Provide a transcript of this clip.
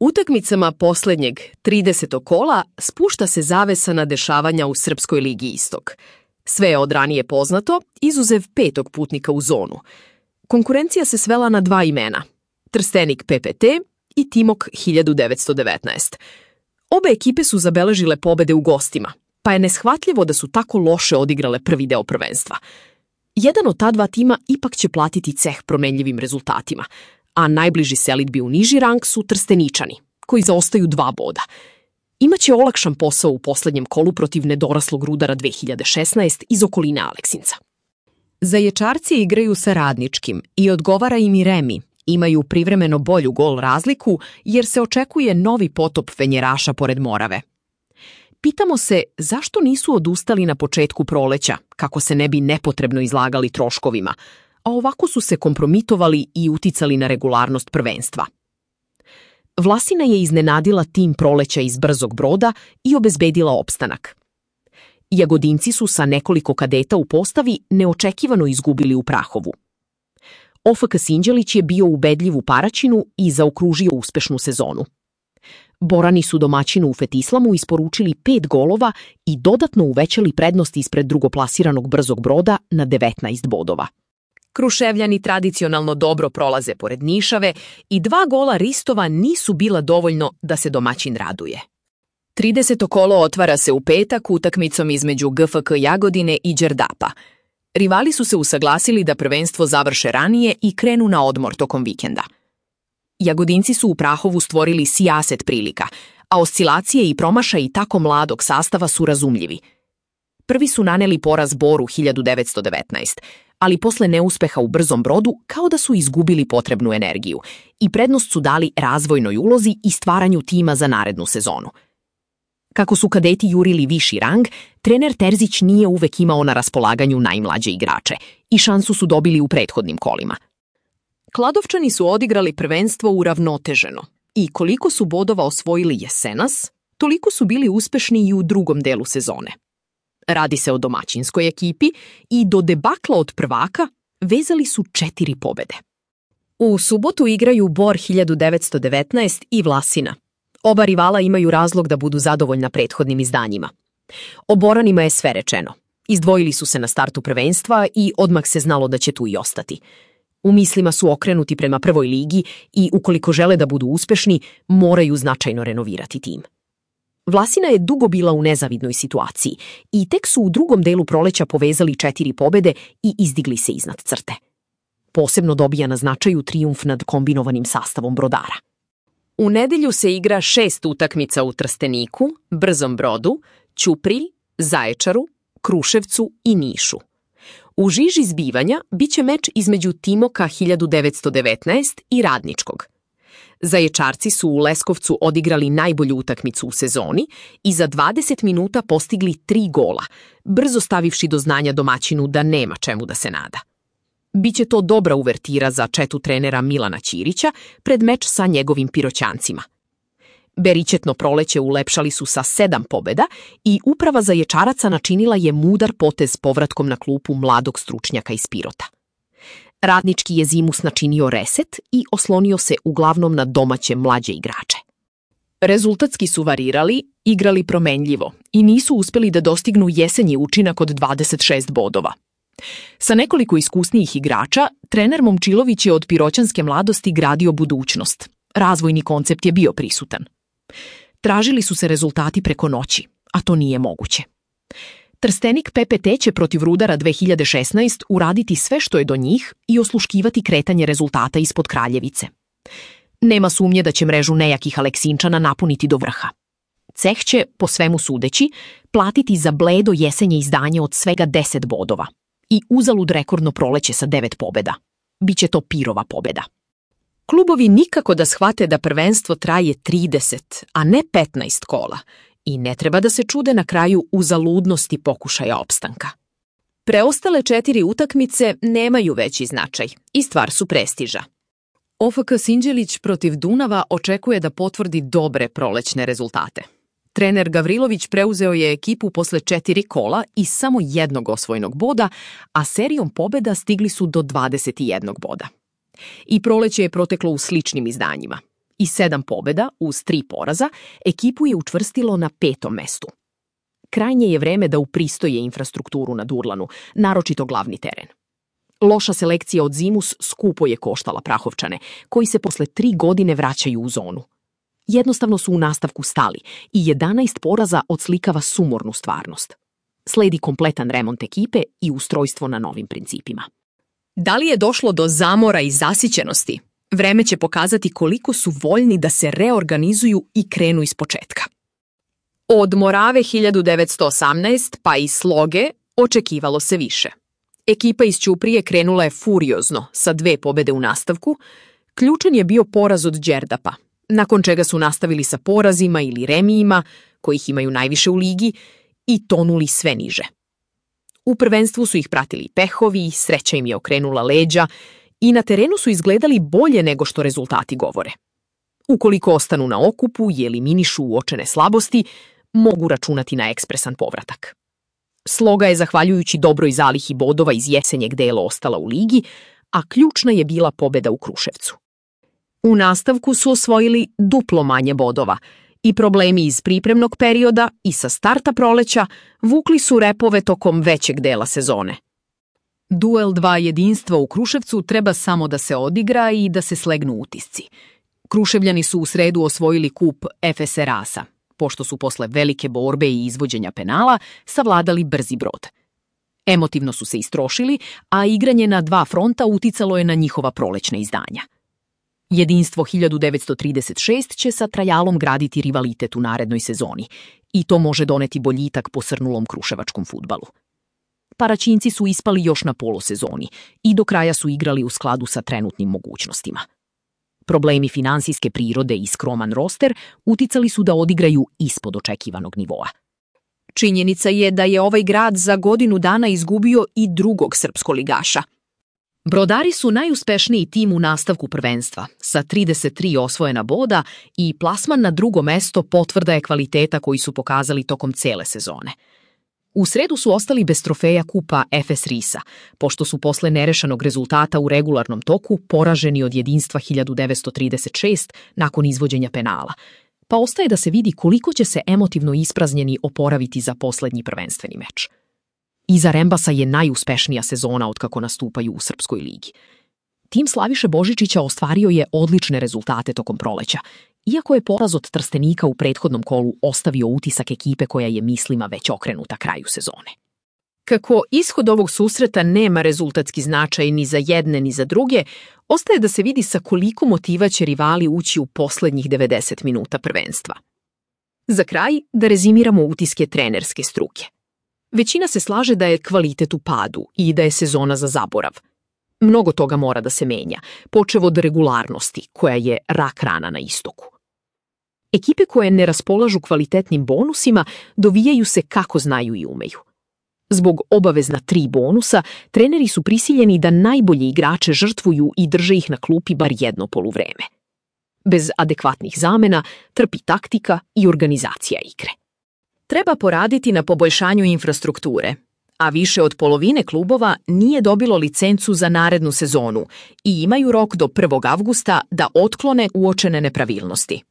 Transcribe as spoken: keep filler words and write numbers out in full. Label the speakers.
Speaker 1: Utakmicama poslednjeg tridesetog kola spušta se zavesa na dešavanja u Srpskoj ligi Istok. Sve je od ranije poznato, izuzev petog putnika u zonu. Konkurencija se svela na dva imena, Trstenik P P T i Timok hiljadu devetsto devetnaest. Obe ekipe su zabeležile pobede u gostima, pa je neshvatljivo da su tako loše odigrale prvi deo prvenstva. Jedan od ta dva tima ipak će platiti ceh promenljivim rezultatima, a najbliži selidbi u niži rang su Trsteničani, koji zaostaju dva boda. Imaće olakšan posao u poslednjem kolu protiv nedoraslog Rudara dve hiljade šesnaest iz okoline Aleksinca. Zaječarci igraju sa Radničkim i odgovara im i remi. Imaju privremeno bolju gol razliku jer se očekuje novi potop Fenjeraša pored Morave. Pitamo se zašto nisu odustali na početku proleća, kako se ne bi nepotrebno izlagali troškovima, a ovako su se kompromitovali i uticali na regularnost prvenstva. Vlasina je iznenadila tim proleća iz Brzog Broda i obezbedila opstanak. Jagodinci su sa nekoliko kadeta u postavi neočekivano izgubili u Prahovu. O F K Sinđelić je bio ubedljiv u Paraćinu i zaokružio uspešnu sezonu. Borani su domaćinu u Fetislamu isporučili pet golova i dodatno uvećali prednost ispred drugoplasiranog Brzog Broda na devetnaest bodova. Kruševljani tradicionalno dobro prolaze pored Nišave i dva gola Ristova nisu bila dovoljno da se domaćin raduje. trideseto kolo otvara se u petak utakmicom između G F K Jagodine i Đerdapa. Rivali su se usaglasili da prvenstvo završe ranije i krenu na odmor tokom vikenda. Jagodinci su u Prahovu stvorili sijaset prilika, a oscilacije i promašaji tako mladog sastava su razumljivi. Prvi su naneli poraz Boru hiljadu devetsto devetnaest, ali posle neuspeha u Brzom Brodu kao da su izgubili potrebnu energiju i prednost su dali razvojnoj ulozi i stvaranju tima za narednu sezonu. Kako su kadeti jurili viši rang, trener Terzić nije uvek imao na raspolaganju najmlađe igrače i šansu su dobili u prethodnim kolima. Kladovčani su odigrali prvenstvo uravnoteženo i koliko su bodova osvojili jesenas, toliko su bili uspešni i u drugom delu sezone. Radi se o domaćinskoj ekipi i do debakla od prvaka vezali su četiri pobede. U subotu igraju Bor hiljadu devetsto devetnaest i Vlasina. Oba rivala imaju razlog da budu zadovoljna prethodnim izdanjima. O Boranima je sve rečeno. Izdvojili su se na startu prvenstva i odmah se znalo da će tu i ostati. U mislima su okrenuti prema prvoj ligi i ukoliko žele da budu uspešni, moraju značajno renovirati tim. Vlasina je dugo bila u nezavidnoj situaciji i tek su u drugom delu proleća povezali četiri pobede i izdigli se iznad crte. Posebno dobija na značaju trijumf nad kombinovanim sastavom Brodara. U nedelju se igra šest utakmica u Trsteniku, Brzom Brodu, Ćupriji, Zaječaru, Kruševcu i Nišu. U žiži zbivanja biće meč između Timoka hiljadu devetsto devetnaest i Radničkog. Zaječarci su u Leskovcu odigrali najbolju utakmicu u sezoni i za dvadeset minuta postigli tri gola, brzo stavivši do znanja domaćinu da nema čemu da se nada. Biće to dobra uvertira za četu trenera Milana Ćirića pred meč sa njegovim Piroćancima. Berićetno proleće ulepšali su sa sedam pobeda i uprava Zaječaraca načinila je mudar potez povratkom na klupu mladog stručnjaka iz Pirota. Radnički je zimus načinio reset i oslonio se uglavnom na domaće mlađe igrače. Rezultatski su varirali, igrali promenljivo i nisu uspeli da dostignu jesenji učinak od dvadeset šest bodova. Sa nekoliko iskusnijih igrača, trener Momčilović je od piroćanske mladosti gradio budućnost. Razvojni koncept je bio prisutan. Tražili su se rezultati preko noći, a to nije moguće. Trstenik P P T će protiv Rudara dve hiljade šesnaest uraditi sve što je do njih i osluškivati kretanje rezultata ispod Kraljevice. Nema sumnje da će mrežu nejakih Aleksinčana napuniti do vrha. Ceh će, po svemu sudeći, platiti za bledo jesenje izdanje od svega deset bodova i uzalud rekordno proleće sa devet pobeda. Biće to Pirova pobeda. Klubovi nikako da shvate da prvenstvo traje trideset, a ne petnaest kola i ne treba da se čude na kraju uzaludnosti pokušaja opstanka. Preostale četiri utakmice nemaju veći značaj i stvar su prestiža. O F K Sinđelić protiv Dunava očekuje da potvrdi dobre prolećne rezultate. Trener Gavrilović preuzeo je ekipu posle četiri kola i samo jednog osvojenog boda, a serijom pobeda stigli su do dvadeset jednog boda. I proleće je proteklo u sličnim izdanjima. i sedam pobjeda uz tri poraza ekipu je učvrstilo na petom mestu. Krajnje je vreme da upristoje infrastrukturu na Durlanu, naročito glavni teren. Loša selekcija od Zimus skupo je koštala Prahovčane, koji se posle tri godine vraćaju u zonu. Jednostavno su u nastavku stali i jedanaest poraza odslikava sumornu stvarnost. Sledi kompletan remont ekipe i ustrojstvo na novim principima. Da li je došlo do zamora i zasićenosti? Vreme će pokazati koliko su voljni da se reorganizuju i krenu iz početka. Od Morave hiljadu devetsto osamnaest pa i Sloge očekivalo se više. Ekipa iz Ćuprije krenula je furiozno sa dve pobjede u nastavku. Ključan je bio poraz od Đerdapa, nakon čega su nastavili sa porazima ili remijima, kojih imaju najviše u ligi, i tonuli sve niže. U prvenstvu su ih pratili pehovi, sreća im je okrenula leđa i na terenu su izgledali bolje nego što rezultati govore. Ukoliko ostanu na okupu i eliminišu uočene slabosti, mogu računati na ekspresan povratak. Sloga je, zahvaljujući dobroj zalihi bodova iz jesenjeg dela, ostala u ligi, a ključna je bila pobjeda u Kruševcu. U nastavku su osvojili duplo manje bodova i problemi iz pripremnog perioda i sa starta proleća vukli su repove tokom većeg dela sezone. Duel dva jedinstva u Kruševcu treba samo da se odigra i da se slegnu utisci. Kruševljani su u sredu osvojili kup F S Rasa, pošto su posle velike borbe i izvođenja penala savladali brzi brod. Emotivno su se istrošili, a igranje na dva fronta uticalo je na njihova prolećna izdanja. Jedinstvo hiljadu devetsto trideset šest će sa Trajalom graditi rivalitet u narednoj sezoni i to može doneti boljitak posrnulom kruševačkom fudbalu. Paraćinci su ispali još na polosezoni i do kraja su igrali u skladu sa trenutnim mogućnostima. Problemi finansijske prirode i skroman roster uticali su da odigraju ispod očekivanog nivoa. Činjenica je da je ovaj grad za godinu dana izgubio i drugog srpskoligaša. Brodari su najuspešniji tim u nastavku prvenstva, sa trideset tri osvojena boda i plasman na drugo mesto potvrda je kvaliteta koji su pokazali tokom cele sezone. U sredu su ostali bez trofeja kupa F S Risa, pošto su posle nerešenog rezultata u regularnom toku poraženi od jedinstva hiljadu devetsto trideset šest nakon izvođenja penala, pa ostaje da se vidi koliko će se emotivno ispraznjeni oporaviti za poslednji prvenstveni meč. Iza Rembasa je najuspešnija sezona otkako nastupaju u Srpskoj ligi. Tim Slaviše Božičića ostvario je odlične rezultate tokom proleća, iako je poraz od Trstenika u prethodnom kolu ostavio utisak ekipe koja je mislima već okrenuta kraju sezone. Kako ishod ovog susreta nema rezultatski značaj ni za jedne ni za druge, ostaje da se vidi sa koliko motiva će rivali ući u poslednjih devedeset minuta prvenstva. Za kraj da rezimiramo utiske trenerske struke. Većina se slaže da je kvalitet u padu i da je sezona za zaborav. Mnogo toga mora da se menja, počev od regularnosti, koja je rak rana na istoku. Ekipe koje ne raspolažu kvalitetnim bonusima dovijaju se kako znaju i umeju. Zbog obavezna tri bonusa, treneri su prisiljeni da najbolje igrače žrtvuju i drže ih na klupi bar jedno poluvreme. Bez adekvatnih zamena trpi taktika i organizacija igre. Treba poraditi na poboljšanju infrastrukture, a više od polovine klubova nije dobilo licencu za narednu sezonu i imaju rok do prvog avgusta da otklone uočene nepravilnosti.